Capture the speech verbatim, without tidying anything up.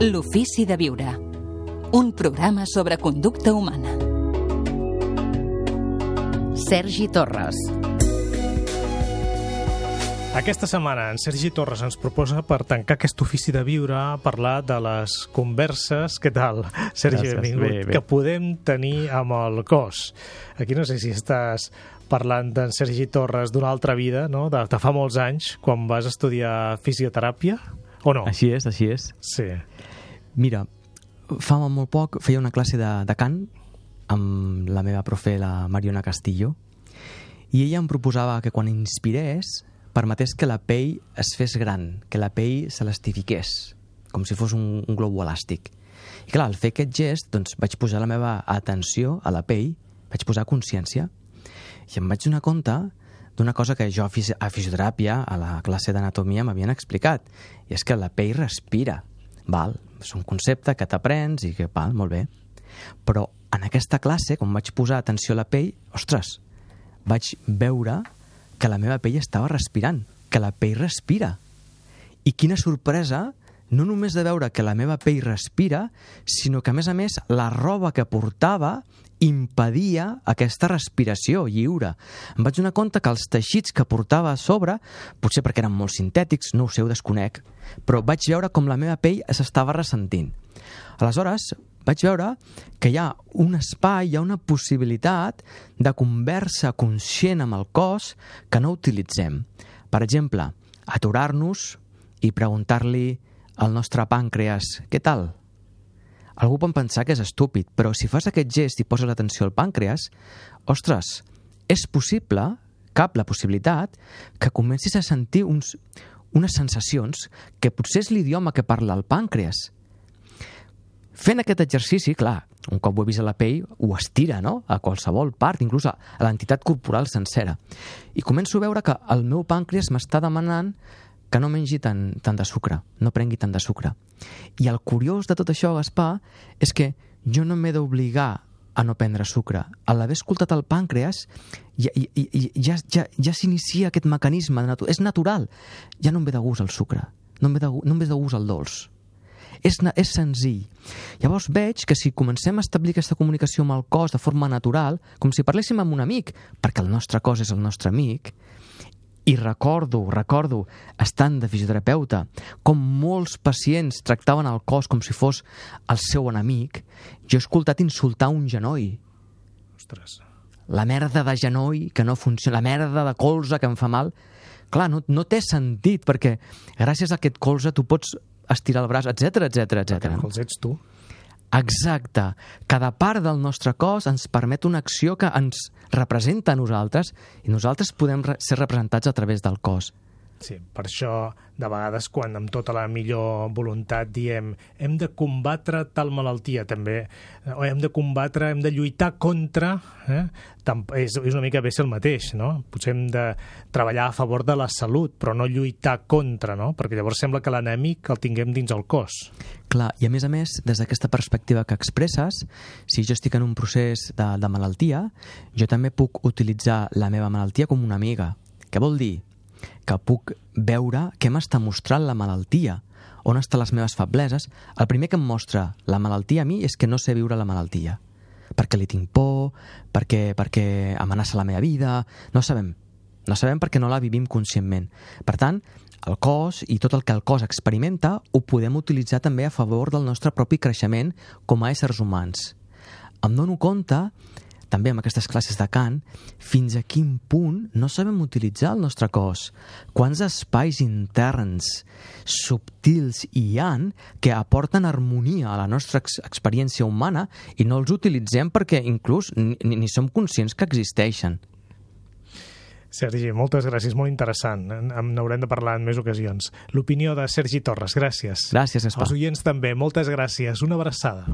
L'ofici de viure. Un programa sobre conducta humana. Sergi Torres. Aquesta setmana en Sergi Torres ens proposa, per tancar aquest ofici de viure, parlar de les converses, què tal, Sergi, Gràcies, benvingut, bé, bé. que podem tenir amb el cos. Aquí no sé si estàs parlant d'en Sergi Torres d'una altra vida, no? de, de fa molts anys, quan vas estudiar fisioteràpia, o no? Així és, així és. Sí. Mira, fa molt poc feia una classe de, de cant amb la meva profe, la Mariona Castillo, i ella em proposava que quan inspirés permetés que la pell es fes gran, que la pell s'elastifiqués, com si fos un, un globo elàstic. I clar, al fer aquest gest, doncs vaig posar la meva atenció a la pell, vaig posar consciència, i em vaig donar compte d'una cosa que jo a fisi- a fisioteràpia, a la classe d'anatomia, m'havien explicat, i és que la pell respira. Val? És un concepte que t'aprens i que, val, molt bé. Però en aquesta classe, quan vaig posar atenció a la pell, ostres, vaig veure que la meva pell estava respirant, que la pell respira. I quina sorpresa, no només de veure que la meva pell respira, sinó que, a més a més, la roba que portava impedia aquesta respiració lliure. Em vaig donar compte que els teixits que portava a sobre, potser perquè eren molt sintètics, no ho sé, ho desconec, però vaig veure com la meva pell s'estava ressentint. Aleshores, vaig veure que hi ha un espai, hi ha una possibilitat de conversa conscient amb el cos que no utilitzem. Per exemple, aturar-nos i preguntar-li al nostre pàncreas, què tal? Algú pot pensar que és estúpid, però si fas aquest gest i poses l'atenció al pàncreas, ostres, és possible, cap la possibilitat, que comencis a sentir uns, unes sensacions que potser és l'idioma que parla el pàncreas. Fent aquest exercici, clar, un cop ho he vist a la pell, ho estira, no?, a qualsevol part, inclús a l'entitat corporal sencera. I començo a veure que el meu pàncreas m'està demanant que no mengi tant, tant de sucre, no prengui tant de sucre. I el curiós de tot això, Gaspar, és que jo no m'he d'obligar a no prendre sucre. A l'haver escoltat el pàncreas, ja, ja, ja, ja, ja s'inicia aquest mecanisme. De natu- és natural. Ja no em ve de gust el sucre, no em ve de, gu- no em ve de gust el dolç. És, és senzill. Llavors veig que si comencem a establir aquesta comunicació amb el cos de forma natural, com si parléssim amb un amic, perquè el nostre cos és el nostre amic, i recordo, recordo, estant de fisioterapeuta, com molts pacients tractaven el cos com si fos el seu enemic, jo he escoltat insultar un genoll. Ostres. La merda de genoll que no funciona, la merda de colze que em fa mal. Clar, no, no té sentit, perquè gràcies a aquest colze tu pots estirar el braç, etcètera, etcètera, etcètera. Perquè els ets tu. Exacte. Cada part del nostre cos ens permet una acció que ens representa a nosaltres i nosaltres podem re- ser representats a través del cos. Sí, per això, de vegades, quan amb tota la millor voluntat diem hem de combatre tal malaltia, també, o hem de combatre, hem de lluitar contra, eh? Tam- és, és una mica bé ser el mateix, no? Potser hem de treballar a favor de la salut, però no lluitar contra, no? Perquè llavors sembla que l'enemic el tinguem dins el cos. Clar, i a més a més, des d'aquesta perspectiva que expresses, si jo estic en un procés de, de malaltia, jo també puc utilitzar la meva malaltia com una amiga. Què vol dir? Que puc veure què m'està mostrant la malaltia, on estan les meves febleses. El primer que em mostra la malaltia a mi és que no sé viure la malaltia, perquè li tinc por, perquè, perquè amenaça la meva vida. No sabem, no sabem perquè no la vivim conscientment. Per tant, el cos i tot el que el cos experimenta ho podem utilitzar també a favor del nostre propi creixement com a éssers humans. Em dono compte, també amb aquestes classes de cant, fins a quin punt no sabem utilitzar el nostre cos. Quants espais interns subtils hi han que aporten harmonia a la nostra ex experiència humana i no els utilitzem perquè inclús ni, ni som conscients que existeixen. Sergi, moltes gràcies, molt interessant. En n'haurem de parlar en més ocasions. L'opinió de Sergi Torres, gràcies. Gràcies, Gaspar. Els oients també, moltes gràcies. Una abraçada.